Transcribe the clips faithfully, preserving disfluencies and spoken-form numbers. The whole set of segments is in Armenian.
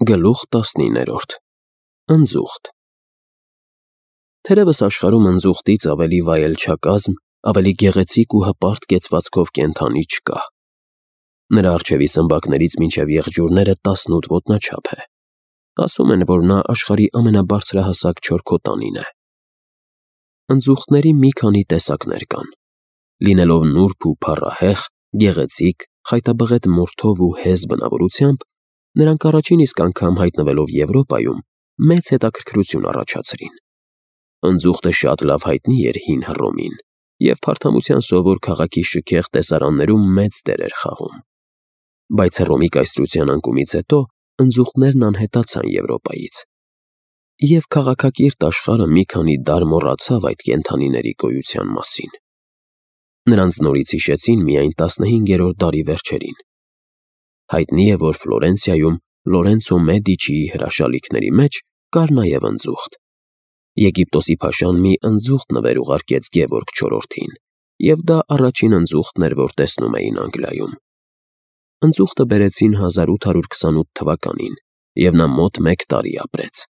Գլուխ տասնիններորդ Ընձուղտ Թերևս աշխարհում ընձուղտից ավելի վայելչակազմ, ավելի գեղեցիկ ու հպարտ կեցվածքով կենդանի չկա։ Նրա առջևի սմբակներից մինչև եղջյուրները տասնութ ոտնաչափ է։ Ասում են, որ նա աշխարհի ամենաբարձրահասակ չորքոտանին է։ Ընձուղտների մի քանի տեսակներ կան։ Լինելով նուրբ ու փառահեղ, գեղեցիկ, խայտաբղետ մորթով ու հեզ բնավորությամբ, նրանք առաջին իսկ անգամ հայտնվելով Եվրոպայում մեծ հետաքրքրություն առաջացրին։ Ընձուղտը շատ լավ հայտնի էր հին Հռոմին և փարթամության սովոր քաղաքի շքեղ տեսարաններում մեծ դեր էր խաղում։ Բայց Հռոմի կայսրության անկումից հետո ընձուղտներն անհետացան Եվրոպայից, և քաղաքակիրթ աշխարհը մի քանի դար մոռացավ այդ կենդանիների գոյության մասին։ Նրանց նորից հիշեցին միայն տասնհինգերորդ դարի վերջերին։ Հայտնի է, որ Ֆլորենցիայում Լորենցո Մեդիչիի հրաշալիքների մեջ կար նաև ընձուղտ։ Եգիպտոսի փաշան մի ընձուղտ նվեր ուղարկեց Գևորգ չորրորդին, և դա առաջին ընձուղտն էր, որ տեսնում էին Անգլիայում։ Ընձուղտը բերեցին հազար ութ հարյուր քսանութ թվականին, և նա մոտ մեկ տարի ապրեց։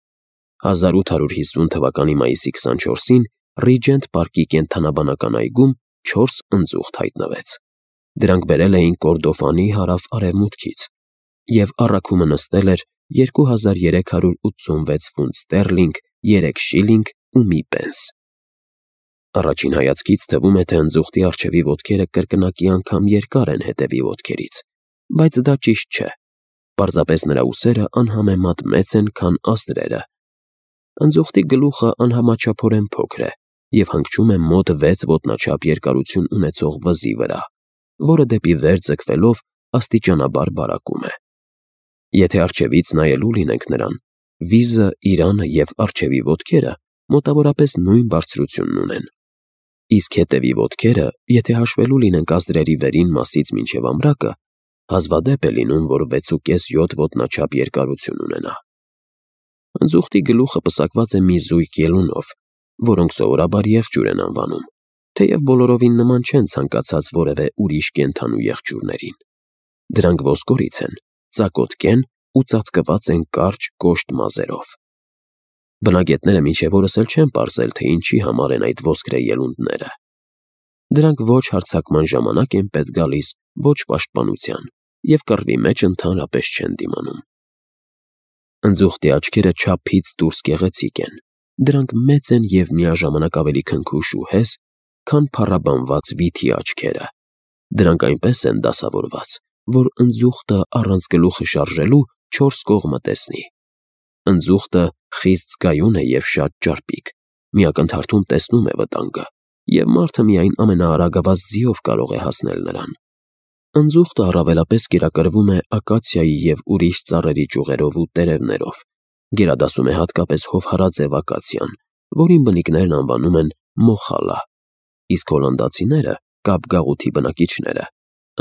հազար ութ հարյուր հիսուն թվականի մայիսի քսանչորսին Ռիջենտ պարկի կենդանաբանական այգում չորս ընձուղտ հայտնվեց։ Դրանք բերել էին Կորդոֆանի հարավ֊արևմուտքից, և առաքումը նստել էր երկու հազար երեք հարյուր ութսունվեց ֆունտ ստերլինգ, երեք շիլինգ ու մի պենս։ Առաջին հայացքից թվում է, թե ընձուղտի առջևի ոտքերը կրկնակի անգամ երկար են հետևի ոտքերից, բայց դա ճիշտ չէ։ Պարզապես նրա ուսերը անհամեմատ մեծ են, քան ազդրերը։ Ընձուղտի գլուխը անհամաչափորեն փոքր է և հանգչում է մոտ վեց ոտնաչափ երկարություն ունեցող վզի վրա, որը դեպի վեր ձգվելով աստիճանաբար բարակում է։ Եթե առջևից նայելու լինենք նրան, վիզը, իրանը և առջևի ոտքերը մոտավորապես նույն բարձրությունն ունեն։ Իսկ հետևի ոտքերը, եթե հաշվելու լինենք ազդրերի վերին մասից մինչև ամրակը, հազվադեպ է լինում, որ վեցուկես յոթ ոտնաչափ երկարություն ունենա։ Ընձուղտի գլուխը պսակված է մի զույգ ելունով, որոնք սովորաբար եղջյուր են անվանում, թեև բոլորովին նման չեն ցանկացած որևէ ուրիշ կենդանու եղջյուրներին։ Դրանք ոսկորից են, ծակոտկեն ու ծածկված են կարճ կոշտ մազերով։ Բնագետները մինչև օրս էլ չեն պարզել, թե ինչի համար են այդ ոսկրե ելունդները։ Դրանք ոչ հարձակման ժամանակ են պետք գալիս, ոչ պաշտպանության, և կռվի մեջ ընդհանրապես չեն դիմանում։ Ընձուղտի աչքերը չափից դուրս գեղեցիկ են։ Դրանք մեծ են և միաժամանակ ավելի քնքուշ ու հեզ, քան փառաբանված վիթի աչքերը։ Դրանք այնպես են դասավորված, որ ընձուղտը առանց գլուխը շարժելու չորս կողմը տեսնի։ Ընձուղտը խիստ զգայուն է և շատ ճարպիկ, մի ակնթարթում տեսնում է վտանգը, և մարդը միայն ամենաարագավազ ձիով կարող է հասնել նրան։ Ընձուղտը առավելապես կերակրվում է ակացիայի և ուրիշ ծառերի ճյուղերով ու տերևներով, գերադասում է հատկապես հովհարաձև ակացիան, որին բնիկներն անվանում են մոխալա, իսկ հոլանդացիները՝ կապգաղութի բնակիչները՝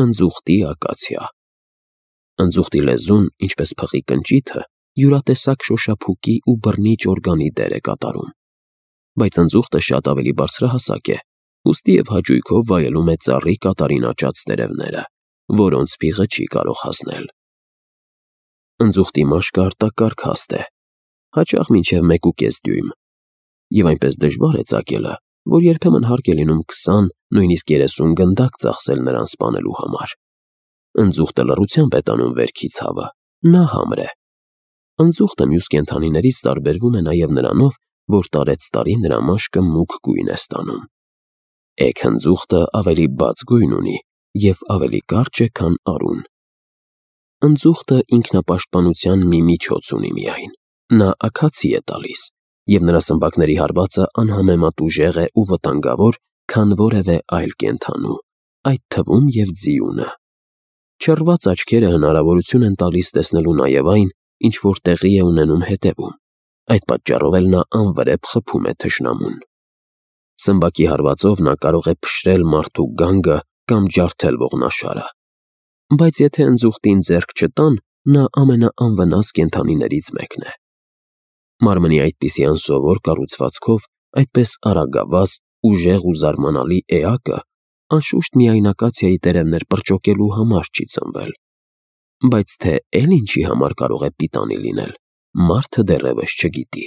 ընձուղտի ակացիա։ Ընձուղտի լեզուն, ինչպես փղի կնճիթը, յուրատեսակ շոշափուկի ու բռնիչ օրգանի դեր է կատարում։ Բայց ընձուղտը շատ ավելի բարձրահասակ է, ուստի և հաճույքով վայելում է ծառի կատարին աճած տերևները, որոնց փիղը չի կարող հասնել։ Ընձուղտի մաշկը արտակարգ հաստ է, հաճախ մինչև մեկուկես դյույմ, և այնպես դժվար է ծակելը, որ երբեմն հարկ է լինում քսան, նույնիսկ երեսուն գնդակ ծախսել նրան սպանելու համար։ Ընձուղտը լռությամբ է տանում վերքի ցավը, նա համր է։ Ընձուղտը մյուս կենդանիներից տարբերվում է նաև նրանով, որ տարեցտարի նրա մաշկը մուգ գույն է ստանում։ Էգ ընձուղտը ավելի բաց գույն ունի և ավելի կարճ է, քան արուն։ Ընձուղտը ինքնապաշտպանության մի միջոց ունի միայն։ Նա աքացի է տալիս, և նրա սմբակների հարվածը անհամեմատ ուժեղ է ու վտանգավոր, քան որևէ այլ կենդանու, այդ թվում և ձիունը։ Չռված աչքերը հնարավորություն են տալիս տեսնելու նաև այն, ինչ որ տեղի է ունենում հետևում, այդ պատճառով էլ նա անվրեպ խփում է թշնամուն։ Սմբակի հարվածով նա կարող է փշրել մարդու գանգը կամ ջարդել ողնաշարը։ Բայց եթե ընձուղտին ձեռք չտան, նա ամենաանվնաս կենդանիներից մեկն է։ Մարմնի այդպիսի անսովոր կառուցվածքով, այդպես արագավազ, ուժեղ ու զարմանալի էակը անշուշտ միայն ակացիայի տերևներ պրճոկելու համար չի ծնվել։ Բայց թե էլ ինչի համար կարող է պիտանի լինել, մարդը դեռևս չգիտի։